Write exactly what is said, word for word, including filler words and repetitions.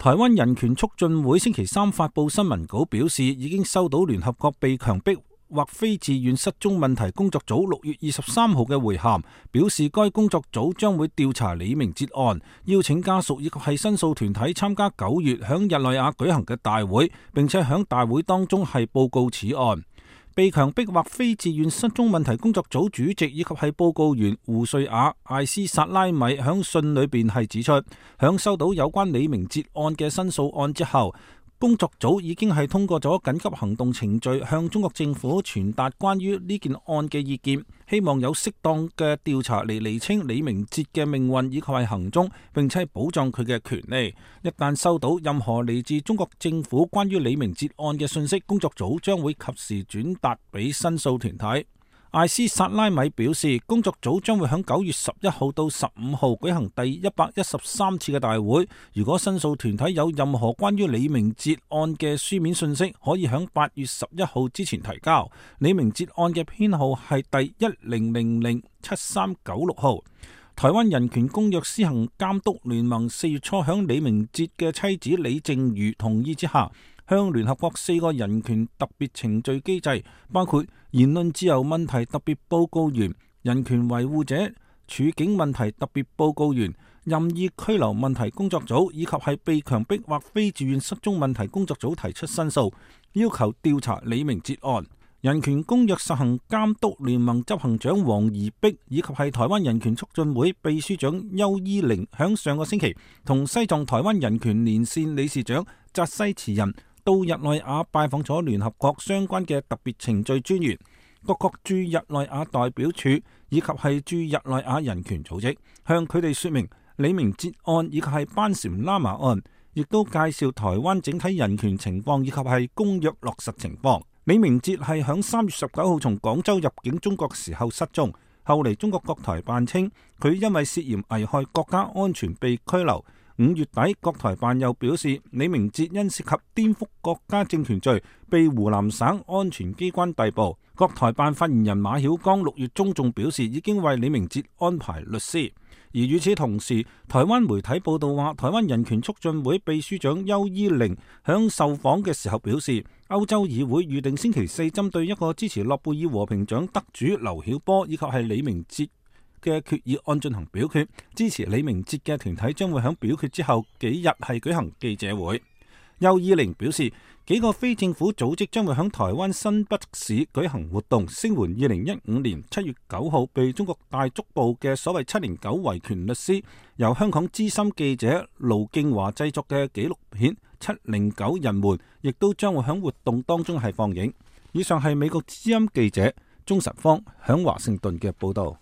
台灣人權促進會星期三發佈新聞稿表示，已經收到聯合國被強迫或非自願失蹤問題工作組六月二十三號嘅回函，表示該工作組將會調查李明哲案，邀請家屬以及係申訴團體參加九月響日內瓦舉行嘅大會，並且響大會當中係報告此案。被強迫或非自願失蹤問題工作組主席以及係報告員胡瑞亞艾斯薩拉米響信裏邊係指出，響收到有關李明哲案嘅申訴案之後，工作組已經係通過咗緊急行動程序，向中國政府傳達關於呢件案嘅意見，希望有適當嘅調查嚟釐清李明哲嘅命運以及係行蹤，並且保障佢嘅權利。一旦收到任何嚟自中國政府關於李明哲案嘅信息，工作組將會及時轉達俾申訴團體。艾斯薩拉米表示，工作組將會喺九月十一號到十五號舉行第一百一十三次嘅大會。如果申訴團體有任何關於李明哲案嘅書面信息，可以喺八月十一號之前提交。李明哲案嘅編號係第一零零零七三九六號。台灣人權公約施行監督聯盟四月初響李明哲嘅妻子李淨瑜同意之下，向聯合國四個人權特別程序機制，包括言論自由問題特別報告員、人權維護者處境問題特別報告員、任意拘留問題工作組以及係被強迫或非自願失蹤問題工作組提出申訴，要求調查李明哲案。人權公約實行監督聯盟執行長黃宜碧以及係台灣人權促進會秘書長邱依玲響上個星期同西藏台灣人權連線理事長扎西慈仁到日內瓦拜訪咗聯合國相關嘅特別程序專員、各國駐日內瓦代表處以及係駐日內瓦人權組織，向佢哋說明李明哲案以及係班禪喇嘛案，亦都介紹台灣整體人權情況以及係公約落實情況。李明哲係響三月十九號從廣州入境中國時候失蹤，後嚟中國國台辦稱佢因為涉嫌危害國家安全被拘留。五月底，國台辦又表示李明哲因涉及顛覆國家政權罪，被湖南省安全機關逮捕。國台辦發言人馬曉光六月中仲表示已經為李明哲安排律師。而與此同時，台灣媒體報道話，台灣人權促進會秘書長邱依玲響受訪嘅時候表示，歐洲議會預定星期四針對一個支持諾貝爾和平獎得主劉曉波以及係李明哲嘅決議案進行表決，支持李明哲嘅團體將會喺表決之後幾日係舉行記者會。邱依玲表示，幾個非政府組織將會喺台灣新北市舉行活動，聲援二零一五年七月九號被中國大捉捕嘅所謂七零九維權律師，由香港資深記者盧敬華製作嘅紀錄片《七零九人們》亦都將會喺活動當中係放映。以上係美國之音記者鍾實芳響華盛頓嘅報道。